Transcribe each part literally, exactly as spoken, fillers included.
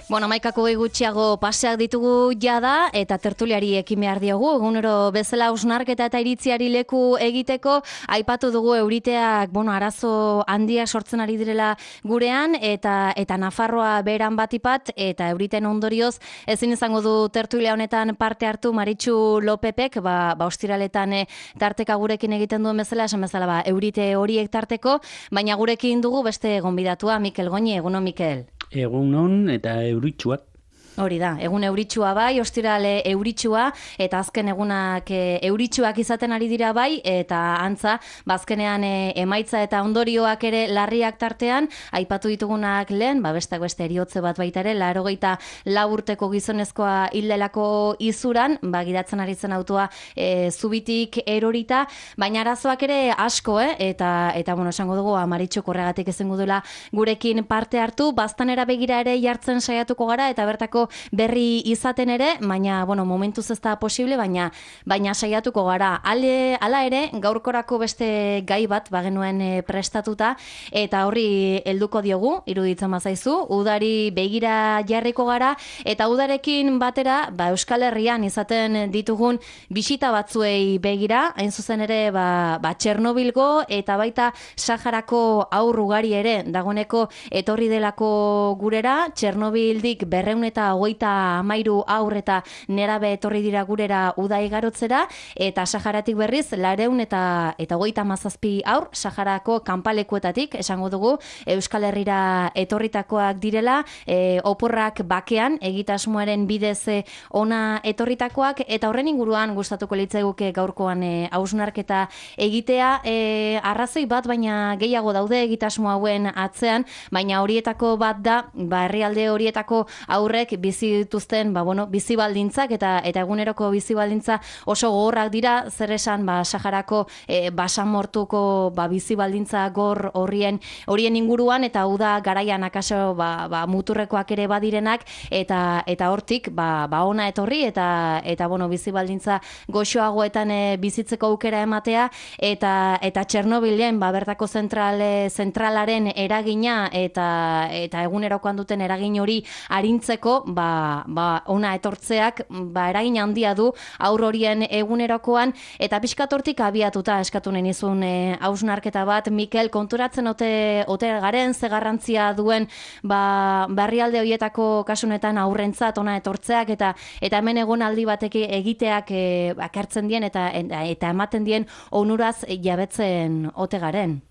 Bueno, maikako gutxiago paseak ditugu jada eta tertuliari ekin behar diogu. Egunero bezala hausnarketa eta iritziari leku egiteko aipatu dugu euriteak, bueno, arazo handia sortzen ari direla gurean eta eta Nafarroa beran batipat eta euriten ondorioz ezin izango du tertulia honetan parte hartu Maritxu Lopepek, ba, ba ostiraletan e, tarteka gurekin egiten duen bezala, esan bezala ba, eurite horiek tarteko, baina gurekin dugu beste gonbidatua, Mikel Goñi. Egunon, Mikel. Egunon eta euritsuak. Hori da, egun euritsua bai, ostirale euritsua, eta azken egunak e, euritsuak izaten ari dira bai, eta antza, bazkenean e, emaitza eta ondorioak ere larriak tartean, aipatu ditugunak lehen, ba bestak beste eriotze bat baita ere, laurogeita lau urteko gizonezkoa hildelako izuran, ba gidatzen ari zen autoa e, zubitik erorita, baina arazoak ere asko, eh? eta, eta bueno, esango dugu, Maritxuk horregatik ezengo duela gurekin parte hartu, baztanera begira ere jartzen saiatuko gara, eta bertako berri izaten ere, baina, bueno, momentuz ez da posible, baina baina saiatuko gara. Ale, ala ere, gaurkorako beste gai bat bagenuen e, prestatuta, eta horri helduko diogu, iruditzen bazaizu, udari begira jarriko gara, eta udarekin batera, ba, Euskal Herrian izaten ditugun bisita batzuei begira, hain zuzen ere, ba, ba Txernobilgo, eta baita Saharako haur ugari ere, dagoeneko etorri delako gurera, Txernobildik berrehun eta hogeita hamairu haur eta nerabe etorri dira gurera uda igarotzera, eta Saharatik berriz laurehun eta eta hogeita hamazazpi haur Saharako kanpalekuetatik, esango dugu, Euskal Herrira etorritakoak direla, e, oporrak bakean egitasmoaren bidez ona etorritakoak, eta horren inguruan gustatuko litzaiguke gaurkoan hausnarketa e, egitea, e, arrazoi bat baina gehiago daude egitasmo hauen atzean, baina horietako bat da, ba herrialde horietako aurrek bizi dituzten, ba bueno, bizi baldintzak eta eta eguneroko bizi baldintza oso gogorrak dira, zer esan ba Saharako e, basamortuko ba bizi baldintza gor horrien horien inguruan, eta uda garaian akaso ba, ba muturrekoak ere badirenak, eta eta hortik ba ba ona etorri eta eta bueno, bizi baldintza goxoagoetan e, bizitzeko aukera ematea, eta eta Txernobilen ba bertako zentrale zentralaren eragina eta eta egunerokoan duten eragin hori arintzeko ba, ba ona etortzeak ba eragin handia du aur horien egunerokoan, eta pixkatortik abiatuta eskatu nahi nizun hausnarketa e, bat, Mikel, konturatzen ote, ote garen ze garrantzia duen ba herrialde horietako kasunetan aurrentzat ona etortzeak, eta eta hemen egonaldi batek egiteak e, bakartzen dien eta, eta ematen dien onuraz jabetzen ote garen.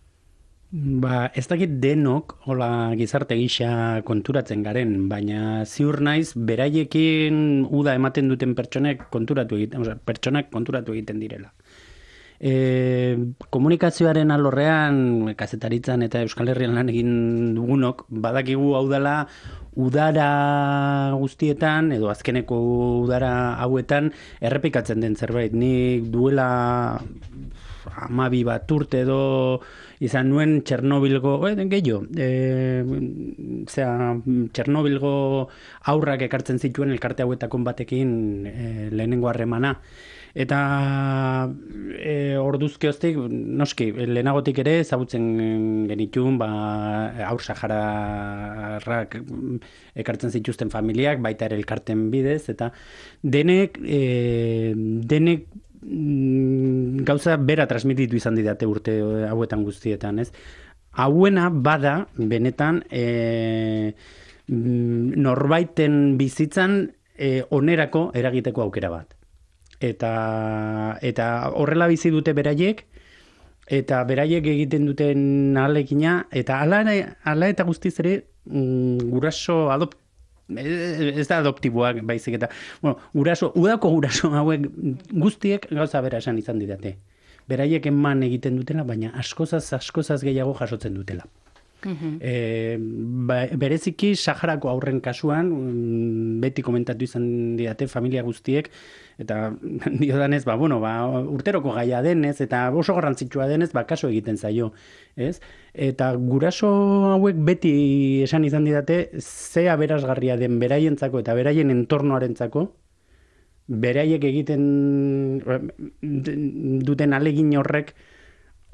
Ba, ez dakit denok hola gizarte gisa konturatzen garen, baina ziur naiz beraiekin uda ematen duten pertsonek konturatu egiten, osea, pertsonak konturatu egiten direla. E, komunikazioaren alorrean, kazetaritzan eta Euskal Herrian lan egin dugunok, badakigu hau dela udara guztietan, edo azkeneko udara hauetan, errepikatzen den zerbait. Nik duela hamabi bat urte edo izan nuen Txernobilgo, eh, gehiago, e, zera, Txernobilgo aurrak ekartzen zituen elkarte hauetakon batekin e, lehenengo harremana. Eta e, orduzkioztik, noski, lehenagotik ere ezagutzen genitun, ba, aur sahararrak ekartzen zituzten familiak, baita ere elkarten bidez, eta denek, e, denek gauza bera transmititu izan didate urte hauetan guztietan, ez? Hauena bada, benetan, e, norbaiten bizitzan e, onerako eragiteko aukera bat. Eta, eta horrela bizi dute beraiek, eta beraiek egiten duten ahalegina, eta ala, ala eta guztiz ere mm, guraso adopt, ez da adoptiboak baizik, eta bueno, guraso, udako guraso hauek guztiek gauza bera esan izan didate. Beraiek eman egiten dutela, baina askozaz, askozaz gehiago jasotzen dutela. Uh-huh. E, ba, bereziki Saharako aurren kasuan beti komentatu izan didate familia guztiek, eta diodanez, ba, bueno, ba, urteroko gaia denez eta oso garrantzitsua denez, ba, kaso egiten zaio, ez? Eta guraso hauek beti esan izan didate ze aberasgarria den beraientzako eta beraien entornoarentzako, beraiek egiten duten alegin horrek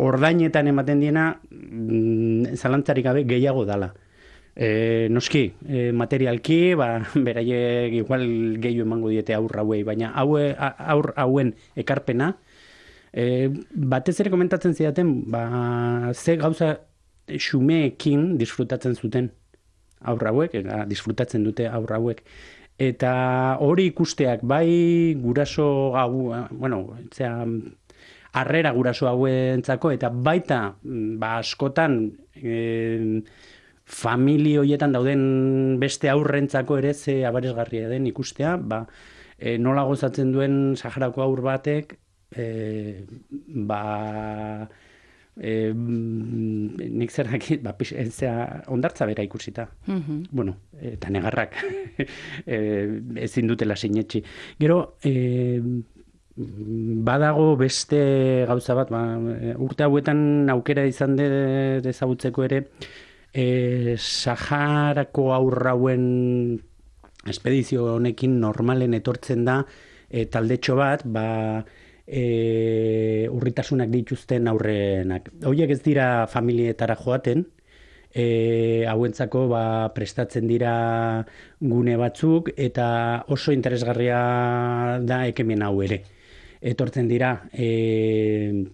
ordainetan ematen diena zalantzarik gabe gehiago dala. E, noski, e, materialki, ba, beraiek igual gehiago emango diete aur hauei, baina haue, aur hauen ekarpena, e, batez ere komentatzen zidaten, ba, ze gauza xumeekin disfrutatzen zuten aur hauek, eta disfrutatzen dute aur hauek. Eta hori ikusteak, bai guraso hau, bueno, zera, harrera guraso hauentzako, eta baita, ba, askotan, e, familia horietan dauden beste aurrentzako ere ze abaresgarria den ikustea, ba, e, nola gozatzen duen Saharako aur batek, e, ba, e, nik zer dakit, ba, zera, ondartza bera ikusita. Mm-hmm. Bueno, eta negarrak e, ezin dutela sinetxi. Gero, e, badago beste gauza bat, ba, urte hauetan aukera izan de, dezagutzeko ere, E, Saharako aurrauen espedizio honekin normalen etortzen da e, taldetxo bat, ba, e, urritasunak dituzten aurrenak. Horiek ez dira familietara joaten, e, hauentzako ba, prestatzen dira gune batzuk, eta oso interesgarria da ekemen hau ere. Etortzen dira e,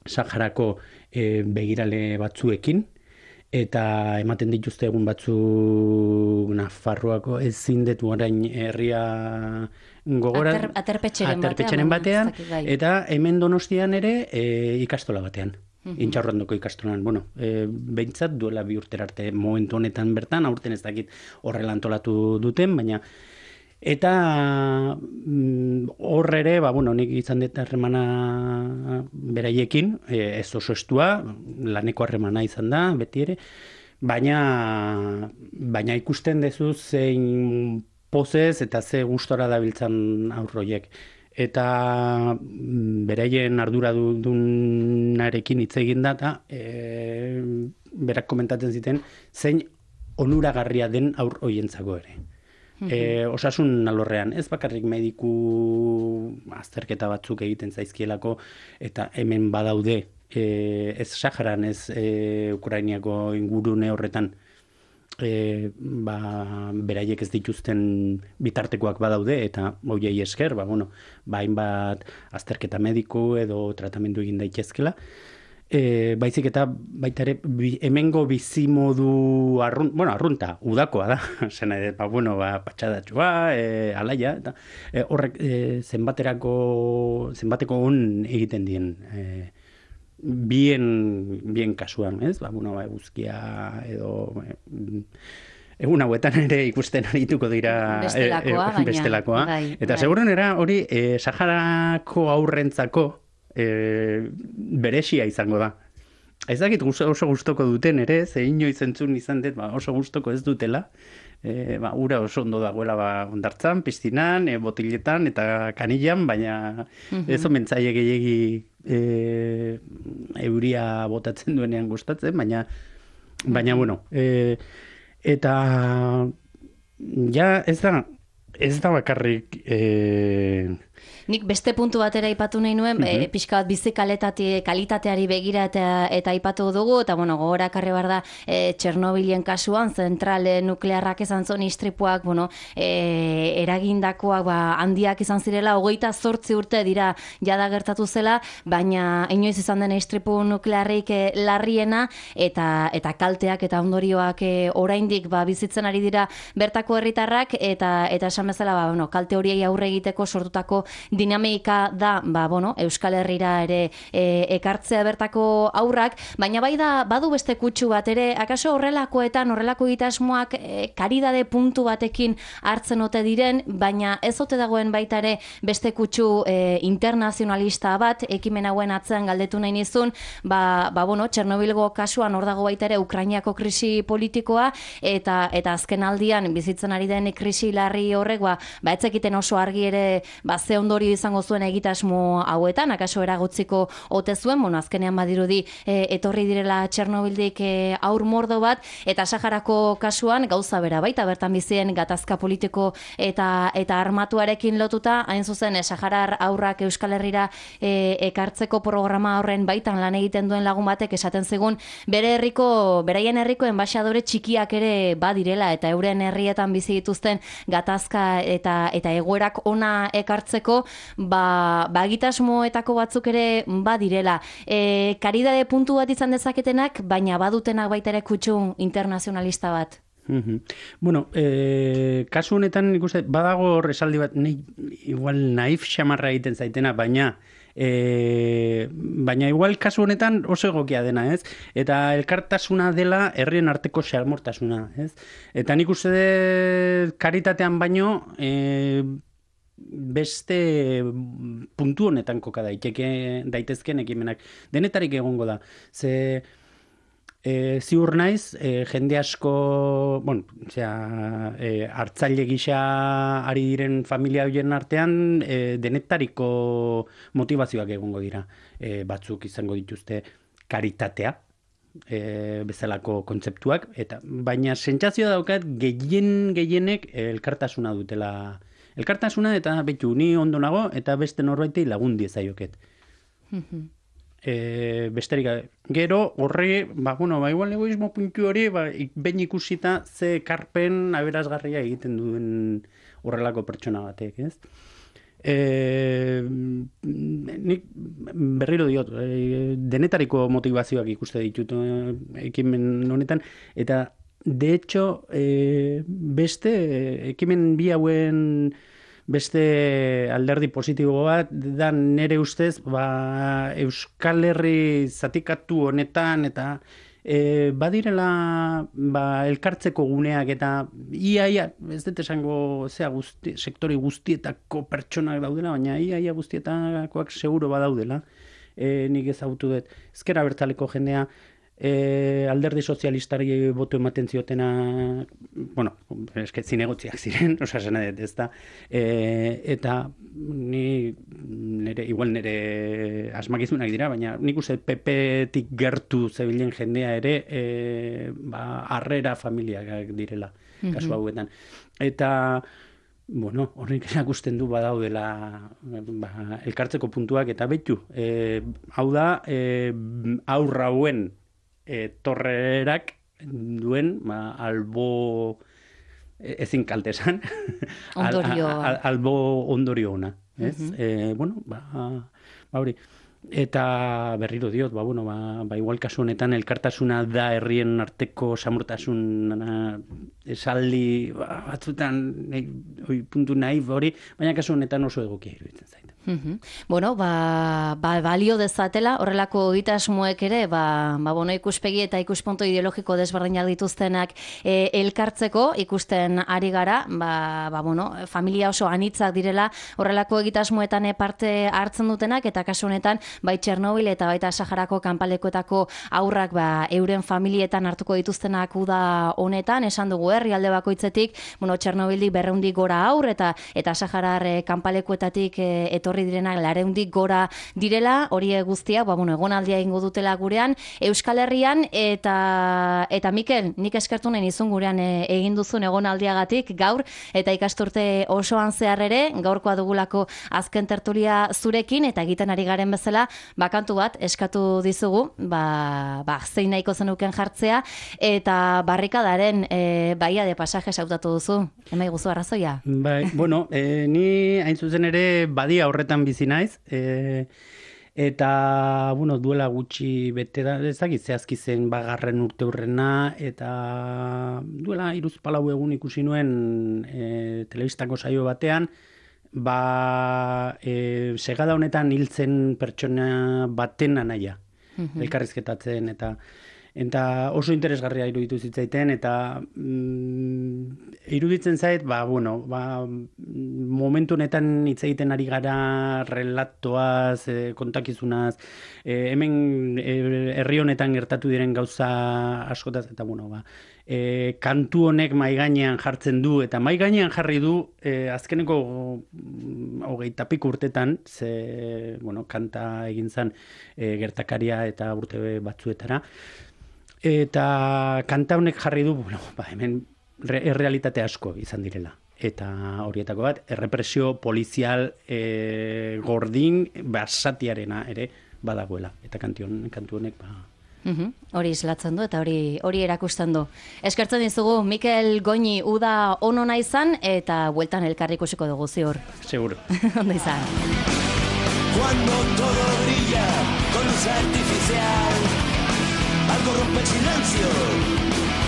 Saharako e, begirale batzuekin, eta ematen dituzte egun batzuk Nafarroako ezin detu orain herria gogora Ater, aterpetxeren, aterpetxeren batean, batean eta hemen Donostian ere e, ikastola batean. Mm-hmm. Intxaurrondoko ikastolan, bueno, e, behintzat duela bi urtera arte momentu honetan bertan, aurten ez dakit horrela antolatu duten, baina eta hor ere, ba, bueno, nik izan dut harremana beraiekin, e, ez oso estua, laneko harremana izan da, beti ere, baina, baina ikusten dezu zein pozez eta ze gustora dabiltzan aurroiek. Eta beraien arduradunarekin hitz egin da, eta e, berak komentatzen ziten, zein onuragarria den aur hoientzako ere. E, osasun alorrean, ez bakarrik mediku azterketa batzuk egiten zaizkielako, eta hemen badaude, e, ez Saharan, ez e, Ukrainiako ingurune horretan, e, ba, beraiek ez dituzten bitartekoak badaude, eta hoiei esker, ba, bueno, ba, hainbat azterketa mediku edo tratamendu egin daitezkela. E, baizik eta baita ere bi, hemengo bizimodu arrun, bueno, arrunta, udakoa da, zena, ba, bueno, ba, patxadatxua, e, alaia, eta e, horrek e, zenbaterako, zenbateko on egiten dien, e, bien, bien kasuan, ez? Ba, bueno, ba, eguzkia edo... E, egun hauetan ere ikusten arituko dira bestelakoa, e, e, bestelakoa. Bai, eta bai. Segurenera hori e, Saharako aurrentzako E, beresia izango da. Ez dakit oso gustoko duten ere, ze inoiz entzun izan dut, ba, oso gustoko ez dutela. E, ba, ura oso ondo dagoela ba, ondartzan, piztinan, e, botiletan eta kanilan, baina mm-hmm. ez omentzaile gehiegi e, euria botatzen duenean gustatzen, baina, baina bueno, e, eta ja ez da, ez da bakarrik... E, Nik beste puntu batera aipatu nahi nuen, mm-hmm. e, pixka bat bizi kalitateari begira eta, eta aipatu dugu, eta bueno, gogora karri bar da e, Txernobilen kasuan, zentrale nuklearrak izan zon istripuak, bueno, e, eragindakoak ba, handiak izan zirela, hogeita zortzi urte dira jada gertatu zela, baina inoiz izan den istripu nuklearrik e, larriena, eta, eta kalteak eta ondorioak e, oraindik ba, bizitzen ari dira bertako herritarrak, eta, eta esan bezala, ba, bueno, kalte horiei aurre egiteko sortutako dinamika da, ba, bueno, Euskal Herrira ere e, ekartzea bertako aurrak, baina bai da, badu beste kutsu bat ere, akaso horrelakoetan, horrelako egitasmoak e, karidade puntu batekin hartzen ote diren, baina ez ote dagoen baita ere beste kutsu e, internazionalista bat, ekimen hauen atzean galdetu nahi nizun, ba, ba bueno, Txernobilgo kasuan hor dago baita ere Ukrainiako krisi politikoa, eta eta azken aldian bizitzen ari den krisi larri horrek, ba, ba etzekiten oso argi ere, ba, ze ondorio izango zuen egitasmo hauetan, akaso eragotziko ote zuen, bueno, azkenean badirudi e, etorri direla Txernobildik e, aur mordo bat, eta Saharako kasuan gauza bera baita, bertan bizien gatazka politiko eta eta armatuarekin lotuta, hain zuzen, e, Saharar aurrak Euskal Herrira e, ekartzeko programa horren baitan lan egiten duen lagun batek esaten zigun, bere herriko, beraien herriko enbaxadore txikiak ere badirela, eta euren herrietan bizi dituzten gatazka eta eta egoerak ona ekartzeko, ba, ba egitasmoetako batzuk ere badirela. E, karidade puntu bat izan dezaketenak, baina badutenak baita ere kutxun internazionalista bat. Mm-hmm. Bueno, e, kasu honetan ikuste, badago esaldi bat, ne, igual naif xamarra egiten zaitena, baina E, baina igual kasu honetan oso egokia dena, ez? Eta elkartasuna dela herrien arteko xamortasuna, ez? Eta nik uste dut karitatean baino e, beste puntu honetan koka daiteke daitezken ekimenak. Denetarik egongo da. Ze E, ziur naiz, e, jende asko, bueno, osea, e, hartzaile gisa ari diren familia horien artean, e, denetariko motivazioak egongo dira. E, batzuk izango dituzte karitatea, e, bezalako kontzeptuak, eta baina sentsazioa daukat gehien gehienek elkartasuna dutela. Elkartasuna eta betu ni ondo nago eta beste norbaitei lagun diezaioket. E, besterik, gero horri, ba, bueno, ba, igual egoismo puntu hori, ba, behin ikusita ze karpen aberasgarria egiten duen horrelako pertsona batek, ez? E, nik berriro diot, e, denetariko motivazioak ikuste ditut e, ekimen honetan, eta de hecho, e, beste ekimen bi hauen beste alderdi positibo bat, da nere ustez, ba, Euskal Herri zatikatu honetan, eta e, badirela ba, elkartzeko guneak, eta iaia, ez dut esango zea guzti, sektori guztietako pertsonak daudela, baina iaia guztietakoak seguro badaudela, e, nik ezagutu dut. Ezker Abertzaleko jendea, E, alderdi sozialistari botu ematen ziotena, bueno, eske zinegotziak ziren, osa zena dut, ez da, e, eta ni nere, igual nire asmakizunak dira, baina nik uste P P-tik gertu zebilen jendea ere, e, ba, harrera familiak direla, kasu hauetan. Eta bueno, horrek erakusten du badaudela ba, elkartzeko puntuak, eta betu, e, hau da, e, aurra hauen E, torrerak duen ba, albo ezin kaltesan ondorio al, al, albo ondorio ona, ez? Uh-huh. E, bueno, ba, ba hori. Eta berriro diot, ba, bueno, ba, ba igual kasu honetan elkartasuna da herrien arteko samurtasun esaldi ba, batzutan oi, puntu nahi hori, baina kasu honetan oso egokia iruditzen zait. Mm-hmm. Bueno, ba, ba, balio dezatela, horrelako egitasmoek ere, ba, ba, bueno, ikuspegi eta ikuspunto ideologiko desberdinak dituztenak e, elkartzeko, ikusten ari gara, ba, ba, bueno, familia oso anitzak direla, horrelako egitasmoetan parte hartzen dutenak, eta kasu honetan, bai Txernobil eta baita Saharako kanpalekuetako aurrak ba, euren familietan hartuko dituztenak uda honetan, esan dugu herrialde bakoitzetik, bueno, Txernobildik berreundik gora aur, eta eta Saharar e, kanpalekuetatik e, etorri direnak lareundik gora direla, hori guztia, ba, bueno, egonaldia egingo dutela gurean, Euskal Herrian, eta eta Mikel, nik eskertu nahi nizun gurean e, egin duzun egonaldiagatik gaur, eta ikasturte osoan zehar ere, gaurkoa dugulako azken tertulia zurekin, eta egiten ari garen bezala, bakantu bat eskatu dizugu, ba, ba zein nahiko zenuken jartzea, eta barrikadaren e, baia de pasajes hautatu duzu, emai guzu arrazoia? Bai, bueno, e, ni hain zuzen ere badia horretan bizi naiz, e, eta, bueno, duela gutxi bete da, ezagit zehazki zen bagarren urte hurrena, eta duela hiruz palau egun ikusi nuen e, telebistako saio batean, ba, e, segada honetan hiltzen pertsona baten anaia, mm-hmm. elkarrizketatzen, eta eta oso interesgarria iruditu zitzaiten, eta mm, iruditzen zait, ba, bueno, ba, momentu honetan hitz egiten ari gara relatoaz, e, kontakizunaz, e, hemen e, herri honetan gertatu diren gauza askotaz, eta bueno, ba, e, kantu honek mai gainean jartzen du, eta mai gainean jarri du e, azkeneko hogeita pik urtetan, ze, bueno, kanta egin zen e, gertakaria eta urte batzuetara, eta kanta honek jarri du, bueno, ba, hemen re, errealitate asko izan direla. Eta horietako bat, errepresio polizial e, gordin basatiarena ere badagoela. Eta kantion, kantu honek, ba, Uhum, hori islatzen du eta hori hori erakusten du. Eskertzen dizugu Mikel Goñi uda onona izan eta bueltan elkarri ikusiko dugu ziur. Seguro. Ondo izan. Cuando todo brilla con luz artificial, algo rompe el silencio,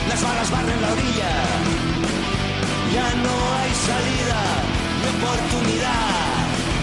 las balas barren la orilla.